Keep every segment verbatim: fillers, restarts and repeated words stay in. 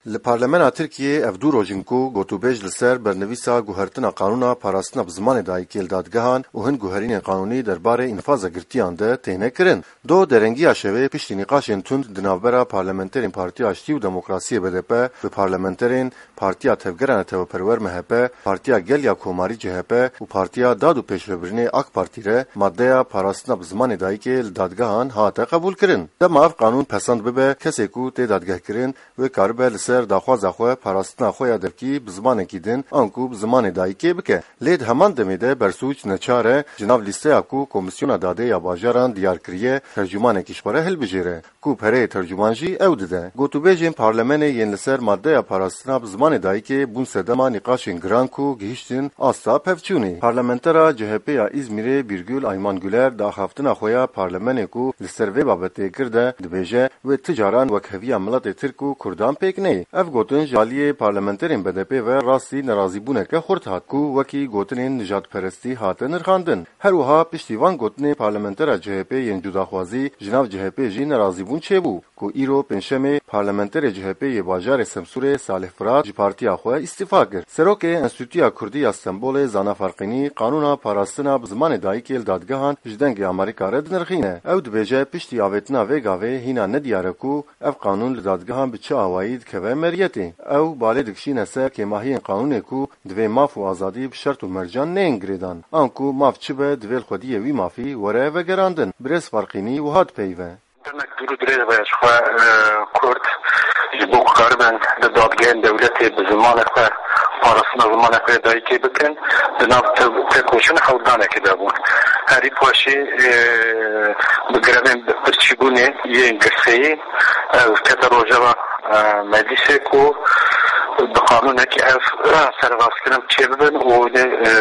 Li Parlemena Tirkiyê ev du roj in ku gotûbêj li ser bernivîsa guhertina qanûna parastina bi zimanê dayikê li dadgehan û hin guherînên qanûnî derbarê înfaza girtiyan de têne kirin. Do derengiya şevê piştî nîqaşên tund di navbera parlamenterên Partiya Aştî û Demokrasiyê B D P bi parlamenterên Partiya Tevgera Neteweperwer M H P, Partiya Gel ya Komarî C H P û Partiya Dad û Pêşvebirinê AK Partî re maddeya parastina bi zimanê dayikê li dadgehan hate qebûlkirin. Dema ev qanûn pesend bibe, kesê ku tê dadgehkirin wê karibe li ser daxwaza xwe parastina xwe ya devkî bi zimanekî din anku bi zimanê dayikê bike. Lê di heman demê de bersûc neçar e ji nav lîsteya ku Komîsyona Dadê ya Bajaran diyar kiriye, tercûmanekî ji xwe re hilbijêre, ku pereyê tercûman jî ew dide. Gotûbêjên parlemenê yên li ser maddeya parastina bi zimanê dayikê bûn sedema nîqaşên giran ku gihîştin asta pevçûnê. Parlamentera C H P ya Îzmîrê Bîrgul Ayman Güler di axaftina xwe ya parlemenê ku li ser vê babetê kir de dibêje, wê ti caran wekheviya miletê Tirk û Kurdan pêk neyê. Ev gotin ji aliyê parlamenterên B D P ve rastî nerazîbûneke xurt hat ku wekî gotinên nijadperestî hate nirxandin. Her wiha piştî van gotinên parlamentera C H P yên cudaxwazî ji nav C H P jî nerazîbûn çêbû ku îro pêncşemê parlamenterê C H P yê bajarê Semsûrê Salih Firat ji partiya xwe îstîfa kir. Serokê Enstîtuya Kurdî ya Stenbolê Zana Farqînî qanûna parastina bi zimanê dayikê li dadgehan ji Dengê Amerîka re dinirxîne. Ew dibêje piştî avêtina vê gavê hîna nediyar e ku ev qanûn li dadgehan bi çi awayî dikeve meriyetê. Ew balê dikişîne ser kêmahiyên qanûnê ku divê maf û azadî bi şert û mercan neyên girêdan. Anku maf çi be, divê li xwediyê wî mafî were vegerandin. Birêz Farqînî wiha dipeyive. Demek dûr û dirêj be ji xwe, e, Kurd ji bo ku karibin di dadgehên dewletê bi zimanê xwe, parastina zimanê xwe yê dayikê bikin, di nav te-, têkoşîn hewldanekê de bûn. Herî paşî, e, bi grevên birçîbûnê yên girseyî, e, kete rojeva, e, meclîsê ku bi qanûnekî ev, e, serivazkirin çêbibin û hûn ê, e,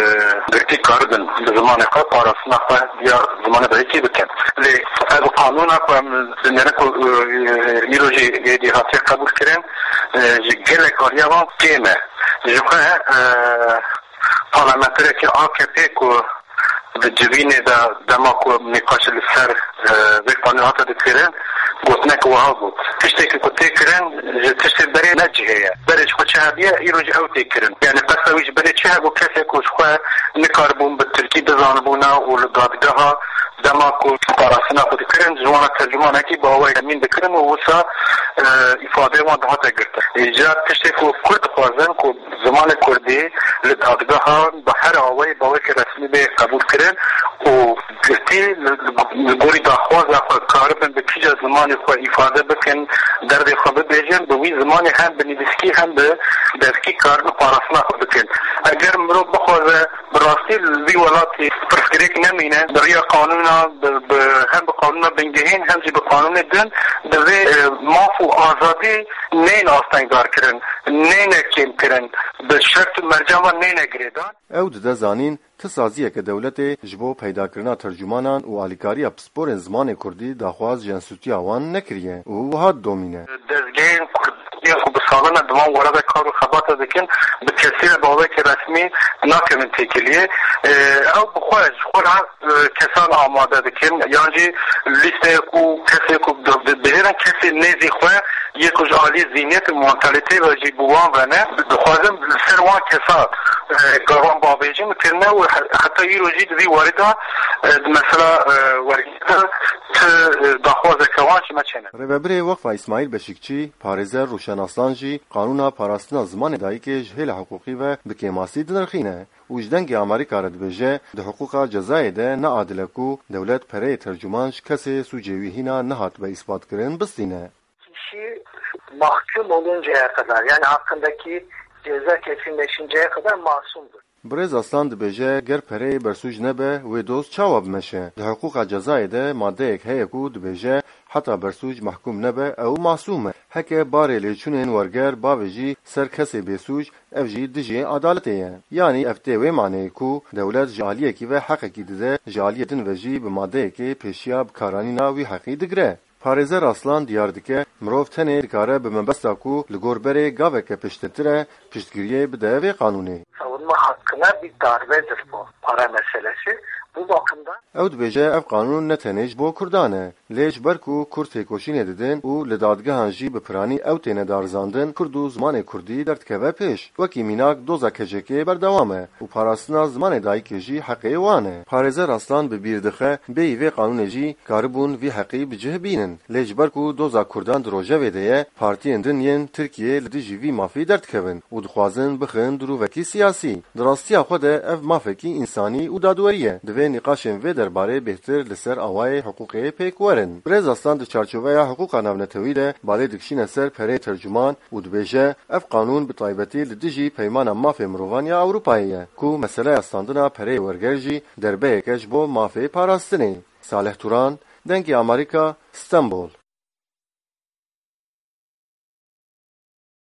girtî karibin bi zimanê xwe parastina xwe ya zimanê dayikê bikin. Lê ev qanûna ku em dinêrin ku, e, îro jî êdî hatiye qebûlkirin, e, ji gelek aliya van kêm e. Ji xwe, e, parlamenterekî A K P ku di civînê de dema ku nîqaş li ser, e, vê qanûnê hate dikirin, gotinek wiha got. Tiştekî ku tê kirin ji tiştê berê ne cihê ye. Berê ji xwe çi hebiye, îro jî ew tê kirin. Yani qesta wî ji berê çi hebû, kesê ku ji xwe nikaribûn bi tirkî bizanibûna û li dadgeha dema ku parastina xwe dikirin, ji wan re tercûmanekî bi awayê emîn dikirin û wisa, e, îfadeyê wan dihate girtin. Îcar tiştê ku Kurd dixwazin ku zimanê kurdî li dadgehan bi her awayî bi awayekî resmî bê qebûlkirin û girtî li, li, li gorî daxwaza xwe karibin bi kîja zimanê xwe îfade bikin, derdê xwe bibêjin, bi wî zimanê hem bi nivîskî hem bi devkî karibin parastina xwe bikin. Eger mirov bixwaze bi rastî li vî welatî pirsgirêk nemîne, bi riya qanûna, bi, bi, hem bi qanûna bingehîn hem jî bi qanûnê din divê, e, maf û azadî neyên astengdar kirin, neyne kêm kirin, bi şert û mercan ve neyne girêdan. Ew dide zanîn, ti saziyeke dewletê ji bo peydakirina tercûmanan û alîkariya pisporên zimanê kurdî daxwaz ji enstîtuya wan nekiriye û wiha didomîne. Dezgehên kurdî ku bi salan e di van were de kar û xebata dikin, bi kesî re bi awayekî resmî nakevin têkiliyê. E, ew bi xwe, ji xwe re, e, kesan amade dikin, yan jî lîsteyek û kesê ku di-, di-, dibihêrin kesê nêzî xwe yê ku ji alî zîniyet û mantalîteyê ve jî bi wan ve ne, dixwazin li ser wan kesa, e, gavan bavêjin kirine û he-, heta îro jî di vî warî de, e, di mesela, e, wergêrê de ti, e, daxwazeke wan ji me çêne. Rêvebirê Weqfa Îsmaîl Beşîkçî, parêzer Rûşen Aslan jî qanûna parastina zimanê dayikê ji hêla hiqûqî ve bi kêmasî dinirxîne û ji Dengê Amerîka re dibêje, di hiqûqa cezayê de ne adil e ku dewlet pereyê tercûman ji kesê sûcê wî hîna nehatibe îsbatkirin bistîne. Kişi mahkum oluncaya kadar, yani hakkındaki ceza kesinleşinceye kadar masumdur. Birêz Aslan dibêje, ger pereyê bersûc nebe, wê doz çawa bimeşe? Di hiqûqa cezayê de madeyek heye ku dibêje, heta bersûc mehkûm nebe, ew masûm e. Heke barê lêçûnên werger bavêjî ser kesê bêsûc, ev jî dijî edaletê ye. Yanî ev tê wê maneyê ku dewlet ji aliyekî ve heqekî dide, ji aliyê din ve jî bi madeyekê pêşiya bikaranîna wî heqî digire. Parêzer Aslan diyar dike, mirov tenê dikare bi mebesta ku li gor berê gaveke piştetir e, piştgiriyê bide vê qanûnê. Savunma hakkına bir darbedir bu para meselesi. Ew dibêje ev qanûn ne tenê ji bo Kurdan e, lê ji ber ku Kurd têkoşînê didin û li dadgehan jî bi piranî ew têne darizandin, Kurd û zimanê Kurdî derdikeve pêş. Wekî mînak doza K C K'ê berdewam e û parastina zimanê dayikê jî heqê wan e. Parêzer Aslan bi bîr dixe, bêyî vê qanûnê jî karibûn vî heqî bi cih bînin. Lê ji ber ku doza Kurdan di rojevê de ye, partiyên din yên Tirkiyê li dijî vî mafî derdikevin û dixwazin bixin dirûvekî siyasî. Di rastiya xwe de ev mafekî însanî û dadwerî ye. Divê nîqaşên vê derbarê bêhtir li ser awayê hiqûqê pêk werin. Birêz Aslan di çarçoveya hiqûqa navnetewî de balê dikişîne ser pereyê tercuman û dibêje, ev qanûn bi taybetî li dijî Peymana Mafê Mirovan ya Ewropayê ye, ku meseleya standina pereyê werger jî derbeyek e ji bo mafê parastinê. Salih Turan, Dengê Amerîka, Stenbol.